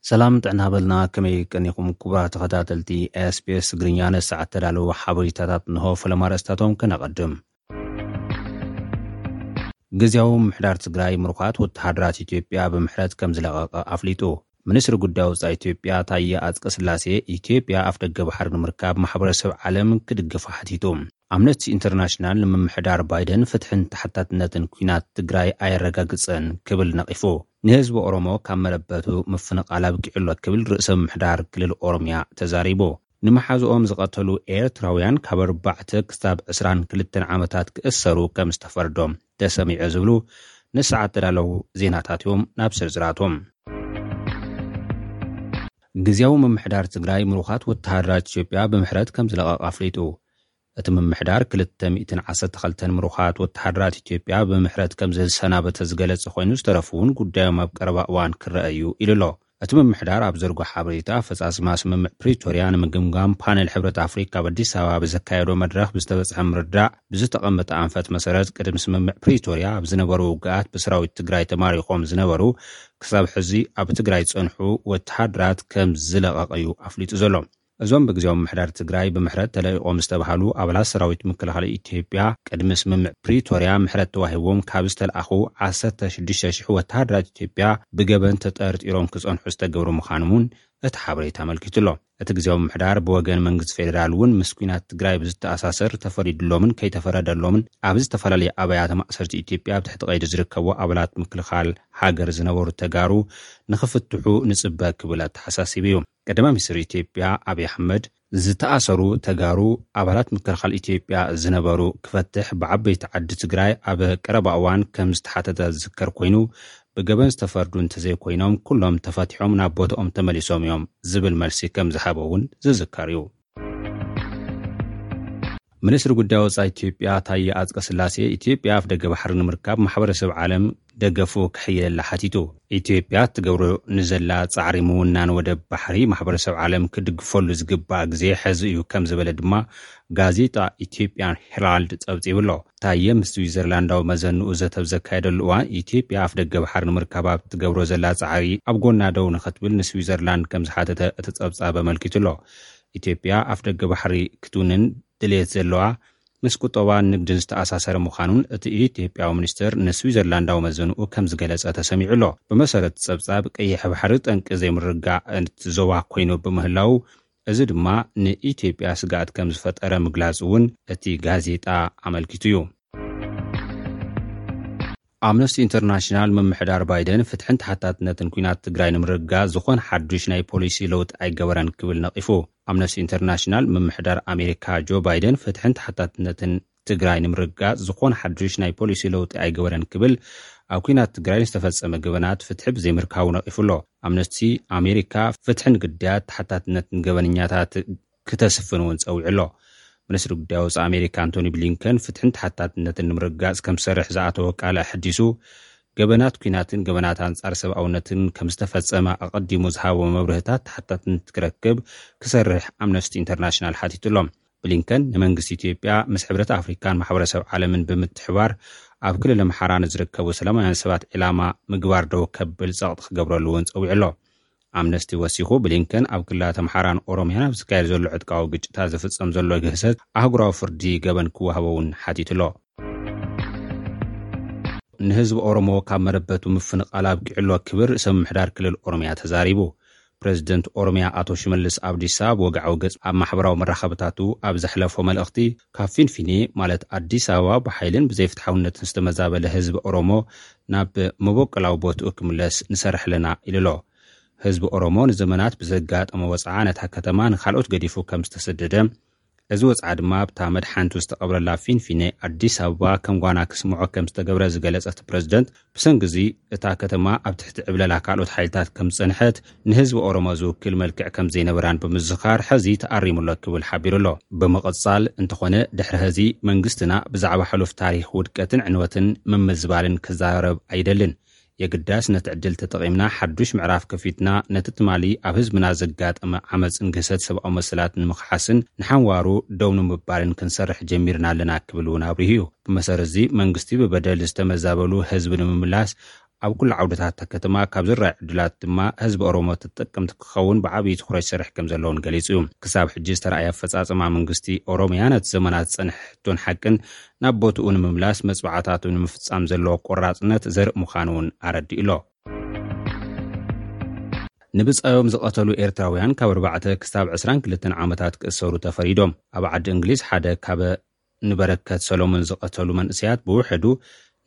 ሰላም ጥዕና በልና፣ ከመይ ቀኒኹም ክቡራት ተኸታተልቲ ኤስቢኤስ ትግርኛ? ንሰዓት ተዳለዉ ሓበሬታታት እንሆ። ፈለማ ኣርእስታቶም ከነቐድም። ግዝያዊ ምምሕዳር ትግራይ ምሩኻት ወተሃደራት ኢትዮጵያ ብምሕረት ከም ዝለቐቐ ኣፍሊጡ። ሚኒስትሪ ጉዳይ ወጻኢ ኢትዮጵያ ታየ ኣጽቀ ስላሴ፣ ኢትዮጵያ ኣፍደገ ባሕሪ ንምርካብ ማሕበረሰብ ዓለም ክድግፋ ሓቲቱ። ኣምነስቲ ኢንተርናሽናል ንምምሕዳር ባይደን ፍትሕን ተሓታትነትን ኲናት ትግራይ ኣየረጋግጸን ክብል ነቒፉ። ንህዝቢ ኦሮሞ ካብ መረበቱ ምፍንቓል ኣብቂዑ ኣሎ ክብል ርእሰ ምምሕዳር ክልል ኦሮምያ ተዛሪቡ። ንመሓዝኦም ዝቐተሉ ኤርትራውያን ካብ ኣርባዕተ ክሳብ ዕስራን ክልተን ዓመታት ክእሰሩ ከም ዝተፈርዶም ተሰሚዑ ዝብሉ ንሰዓት ተዳለዉ ዜናታት እዮም። ናብ ዝርዝራቶም። ግዝያዊ ምምሕዳር ትግራይ ምሩኻት ወተሃደራት ኢትዮጵያ ብምሕረት ከም ዝለቐቕ ኣፍሊጡ። እቲ ምምሕዳር ክልተ ሚእትን ዓሰርተ ክልተን ምሩኻት ወተሃደራት ኢትዮጵያ ብምሕረት ከም ዝሰናበተ ዝገለጸ ኮይኑ፣ ዝተረፉ እውን ጉዳዮም ኣብ ቀረባ እዋን ክረአ እዩ ኢሉ ኣሎ። እቲ ምምሕዳር ኣብ ዘርጎ ሓበሬታ፣ ኣፈጻጽማ ስምምዕ ፕሪቶርያ ንምግምጋም ፓነል ሕብረት ኣፍሪካ ኣብ ኣዲስ ኣበባ ብዘካየዶ መድረኽ ብዝተበጽሐ ምርዳእ፣ ብዝተቐመጠ ኣንፈት መሰረት ቅድሚ ስምምዕ ፕሪቶርያ ኣብ ዝነበሩ ውግኣት ብሰራዊት ትግራይ ተማሪኾም ዝነበሩ ክሳብ ሕዚ ኣብ ትግራይ ዝጸንሑ ወተሃደራት ከም ዝለቐቐ እዩ ኣፍሊጡ ዘሎ። እዞም ብግዜያዊ ምምሕዳር ትግራይ ብምሕረት ተለቒቖም ዝተባህሉ ኣባላት ሰራዊት ምክልኻል ኢትዮጵያ፣ ቅድሚ ስምምዕ ፕሪቶርያ ምሕረት ተዋሂቦም ካብ ዝተለኣኹ ዓሰርተ ሽዱሽተ ሽሕ ወተሃደራት ኢትዮጵያ ብገበን ተጠርጢሮም ክጸንሑ ዝተገብሩ ምዃኖም እውን እቲ ሓበሬታ ኣመልኪቱ ኣሎ። እቲ ግዜያዊ ምምሕዳር ብወገን መንግስቲ ፌዴራል እውን ምስ ኲናት ትግራይ ብዝተኣሳሰር ተፈሪድሎምን ከይተፈረደሎምን ኣብ ዝተፈላለየ ኣብያተ ማእሰርቲ ኢትዮጵያ ኣብ ትሕቲ ቀይዲ ዝርከቡ ኣባላት ምክልኻል ሃገር ዝነበሩ ተጋሩ ንኽፍትሑ ንጽበ ክብል ኣተሓሳሲቡ እዩ። ቀዳማይ ሚኒስትር ኢትዮጵያ ኣብይ ኣሕመድ፣ ዝተኣሰሩ ተጋሩ ኣባላት ምክልኻል ኢትዮጵያ ዝነበሩ ክፈትሕ ብዓበይቲ ዓዲ ትግራይ ኣብ ቀረባ እዋን ከም ዝተሓተተ ዝዝከር ኮይኑ፣ ብገበን ዝተፈርዱ እንተዘይኮይኖም ኩሎም ተፈቲሖም ናብ ቦትኦም ተመሊሶም እዮም ዝብል መልሲ ከም ዝሃበ እውን ዝዝከር እዩ። ሚኒስትሪ ጉዳይ ወጻኢ ኢትዮጵያ ታየ ኣጽቀ ስላሴ፣ ኢትዮጵያ ኣፍደገ ባሕሪ ንምርካብ ማሕበረሰብ ዓለም ደገፉ ክሕይለላ ሓቲቱ። ኢትዮጵያ እትገብሮ ንዘላ ጻዕሪ ምውናን ወደብ ባሕሪ ማሕበረሰብ ዓለም ክድግፈሉ ዝግባእ ግዜ ሕዚ እዩ ከም ዝበለ ድማ ጋዜጣ ኢትዮጵያን ሄራልድ ጸብጺቡ ኣሎ። ታየ ምስ ስዊዘርላንዳዊ መዘንኡ ዘተ ኣብ ዘካየደሉ እዋን፣ ኢትዮጵያ ኣፍደገ ባሕሪ ንምርካብ ኣብ ትገብሮ ዘላ ጻዕሪ ኣብ ጎና ደው ንኽትብል ንስዊዘርላንድ ከም ዝሓተተ እቲ ጸብጻብ ኣመልኪቱ ኣሎ። ኢትዮጵያ ኣፍደገ ባሕሪ ክትውንን ድሌት ዘለዋ ምስ ቁጠባን ንግድን ዝተኣሳሰረ ምዃኑን እቲ ኢትዮጵያዊ ሚኒስትር ንስዊዘርላንዳዊ መዘንኡ ከም ዝገለጸ ተሰሚዑ ኣሎ። ብመሰረት ጸብጻብ፣ ቀይሕ ባሕሪ ጠንቂ ዘይምርግጋእ እቲ ዞባ ኮይኑ ብምህላው፣ እዚ ድማ ንኢትዮጵያ ስግኣት ከም ዝፈጠረ ምግላጹ እውን እቲ ጋዜጣ ኣመልኪቱ እዩ። ኣምነስቲ ኢንተርናሽናል፣ ምምሕዳር ባይደን ፍትሕን ተሓታትነትን ኲናት ትግራይ ንምርግጋጽ ዝኾነ ሓዱሽ ናይ ፖሊሲ ለውጢ ኣይገበረን ክብል ነቒፉ። ኣምነስቲ ኢንተርናሽናል፣ ምምሕዳር ኣሜሪካ ጆ ባይደን ፍትሕን ተሓታትነትን ትግራይ ንምርግጋጽ ዝኾነ ሓዱሽ ናይ ፖሊሲ ለውጢ ኣይገበረን ክብል ኣብ ኲናት ትግራይ ዝተፈጸመ ገበናት ፍትሒ ብዘይምርካቡ ነቒፉ ኣሎ። ኣምነስቲ ኣሜሪካ ፍትሕን ግዳያት ተሓታትነትን ገበነኛታት ክተስፍን እውን ጸዊዑ ኣሎ። ሚኒስትሪ ጉዳይ ወጻኢ ኣሜሪካ ኣንቶኒ ብሊንከን ፍትሕን ተሓታትነትን ንምርግጋጽ ከም ዝሰርሕ ዝኣተወ ቃል ኣሐዲሱ፣ ገበናት ኲናትን ገበናት ኣንጻር ሰብኣውነትን ከም ዝተፈጸመ ኣቐዲሙ ዝሃቦ መብርህታት ተሓታትነት ክረክብ ክሰርሕ ኣምነስቲ ኢንተርናሽናል ሓቲቱ ኣሎ። ብሊንከን ንመንግስቲ ኢትዮጵያ ምስ ሕብረት ኣፍሪካን ማሕበረሰብ ዓለምን ብምትሕባር ኣብ ክልል ኣምሓራ ንዝርከቡ ሰላማውያን ሰባት ዒላማ ምግባር ደው ከብል ጸቕጢ ክገብረሉ እውን ጸዊዑ ኣሎ። ኣምነስቲ ወሲኹ፣ ብሊንከን ኣብ ክልላት ኣምሓራን ኦሮምያን ኣብ ዝካየድ ዘሎ ዕጥቃዊ ግጭታት ዝፍጸም ዘሎ ግህሰት ኣህጉራዊ ፍርዲ ገበን ክወሃቦ እውን ሓቲቱ ኣሎ። ንህዝቢ ኦሮሞ ካብ መረበቱ ምፍንቓል ኣብቂዑ ኣሎ ክብል ርእሰ ምምሕዳር ክልል ኦሮምያ ተዛሪቡ። ፕረዚደንት ኦሮምያ ኣቶ ሽመልስ ኣብዲሳ ብወግዓዊ ገጽ ኣብ ማሕበራዊ መራኸብታቱ ኣብ ዘሕለፎ መልእኽቲ፣ ካብ ፊንፊኔ ማለት ኣዲስ ኣበባ ብሓይልን ብዘይፍትሓውነትን ዝተመዛበለ ህዝቢ ኦሮሞ ናብ መበቆላዊ ቦትኡ ክምለስ ንሰርሕ ኣለና ኢሉ ኣሎ። ህዝቢ ኦሮሞ ንዘመናት ብዘጋጠሞ ወጽዓ ነታ ከተማ ንኻልኦት ገዲፉ ከም ዝተሰደደ፣ እዚ ወጽዓ ድማ ኣብታ መድሓንቱ ዝተቐብረላ ፊንፊኔ ኣዲስ ኣበባ ከም ጓና ክስምዖ ከም ዝተገብረ ዝገለጸ እቲ ፕረዚደንት፣ ብሰንኪ እዚ እታ ከተማ ኣብ ትሕቲ ዕብለላ ካልኦት ሓይልታት ከም ዝጸንሐት፣ ንህዝቢ ኦሮሞ ዝውክል መልክዕ ከም ዘይነበራን ብምዝኻር፣ ሕዚ ተኣሪሙ ኣሎ ክብል ሓቢሩ ኣሎ። ብምቕጻል፣ እንተኾነ ድሕሪ ሕዚ መንግስትና ብዛዕባ ሕሉፍ ታሪኽ ውድቀትን ዕንወትን ምምዝባልን ክዛረብ ኣይደልን። የግዳስ ነቲ ዕድል ተጠቒምና ሓዱሽ ምዕራፍ ከፊትና፣ ነቲ ትማሊ ኣብ ህዝብና ዘጋጠመ ዓመጽን ግህሰት ሰብኣዊ መሰላት ንምኽሓስን ንሓንዋሩ ደው ንምባልን ክንሰርሕ ጀሚርና ኣለና ክብል እውን ኣብሪሁ እዩ። ብመሰረት እዚ መንግስቲ ብበደል ዝተመዛበሉ ህዝቢ ንምምላስ ኣብ ኩሉ ዓውድታት እታ ከተማ ካብ ዝረኣዩ ዕድላት ድማ ህዝቢ ኦሮሞ ተጠቀምቲ ክኸውን ብዓብዪ ትኹረት ይሰርሕ ከም ዘለውን ገሊጹ እዩ። ክሳብ ሕጂ ዝተረኣየ ኣፈጻጽማ መንግስቲ ኦሮሚያ ነቲ ዘመናት ዝጸንሐ ሕቶን ሓቅን ናብ ቦትኡ ንምምላስ መጽዋዕታቱ ንምፍጻም ዘለዎ ቆራጽነት ዘርኢ ምዃኑ እውን ኣረዲኡ ኣሎ። ንብጻዮም ዝቐተሉ ኤርትራውያን ካብ ኣርባዕተ ክሳብ ዕስራን ክልተን ዓመታት ክእሰሩ ተፈሪዶም። ኣብ ዓዲ እንግሊዝ ሓደ ካብ ንበረከት ሰሎሞን ዝቐተሉ መንእሰያት ብውሕዱ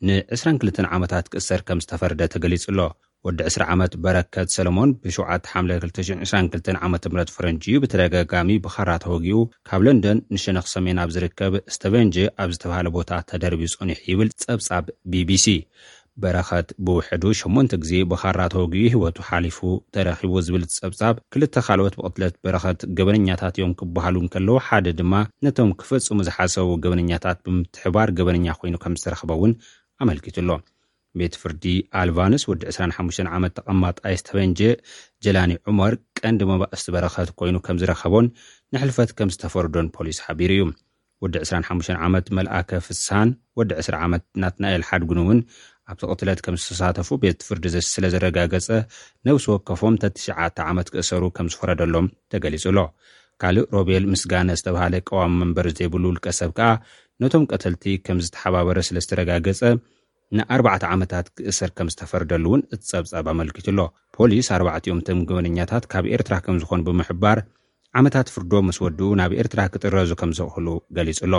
ን22 ዓመታት ክእሰር ከም ዝተፈረደ ተገሊጹ ኣሎ። ወዲ ዕስራ ዓመት በረከት ሰሎሞን ብሸውዓተ ሓምለ ክልተ ሽሕን ዕስራን ክልተን ዓመተ ምህረት ፈረንጂ እዩ ብተደጋጋሚ ብኻራ ተወጊኡ ካብ ለንደን ንሸነኽ ሰሜን ኣብ ዝርከብ ስተቨንጅ ኣብ ዝተባህለ ቦታ ተደርብዩ ጸኒሑ ይብል ጸብጻብ ቢቢሲ። በረኸት ብውሕዱ ሸሞንተ ግዜ ብኻራ ተወጊኡ ህይወቱ ሓሊፉ ተረኺቡ ዝብል ጸብጻብ፣ ክልተ ካልኦት ብቕትለት በረኸት ገበነኛታት እዮም ክበሃሉ እንከለዉ፣ ሓደ ድማ ነቶም ክፍጽሙ ዝሓሰቡ ገበነኛታት ብምትሕባር ገበነኛ ኮይኑ ከም ዝተረኽበ እውን ኣመልኪቱ ኣሎ። ቤት ፍርዲ ኣልቫንስ ወዲ ዕስራን ሓሙሽተን ዓመት ተቐማጣይ ስተቨንጀ ጀላኒ ዑመር ቀንዲ መባእስቲ በረኸት ኮይኑ ከም ዝረኸቦን ንሕልፈት ከም ዝተፈርዶን ፖሊስ ሓቢሩ እዩ። ወዲ ዕስራን ሓሙሽተን ዓመት መልኣከ ፍስሃን ወዲ ዕስራ ዓመት ናትናኤል ሓድጉን እውን ኣብቲ ቅትለት ከም ዝተሳተፉ ቤት ፍርዲ ዘ-፣ ስለ ዘረጋገጸ ነብሲ ወከፎም ተትሽዓተ ዓመት ክእሰሩ ከም ዝፈረደሎም ተገሊጹ ኣሎ። ካልእ ሮቤል ምስጋነ ዝተባሃለ ቀዋሚ መንበር ዘይብሉ ውልቀ ሰብ ከኣ ነቶም ቀተልቲ ከም ዝተሓባበረ ስለ ዝተረጋገጸ ንኣርባዕተ ዓመታት ክእሰር ከም ዝተፈርደሉ እውን እቲ ጸብጻብ ኣመልኪቱ ኣሎ። ፖሊስ ኣርባዕቲኦም እቶም ገበነኛታት ካብ ኤርትራ ከም ዝኾኑ ብምሕባር ዓመታት ፍርዶም ምስ ወድኡ ናብ ኤርትራ ክጥረዙ ከም ዝኽእሉ ገሊጹ ኣሎ።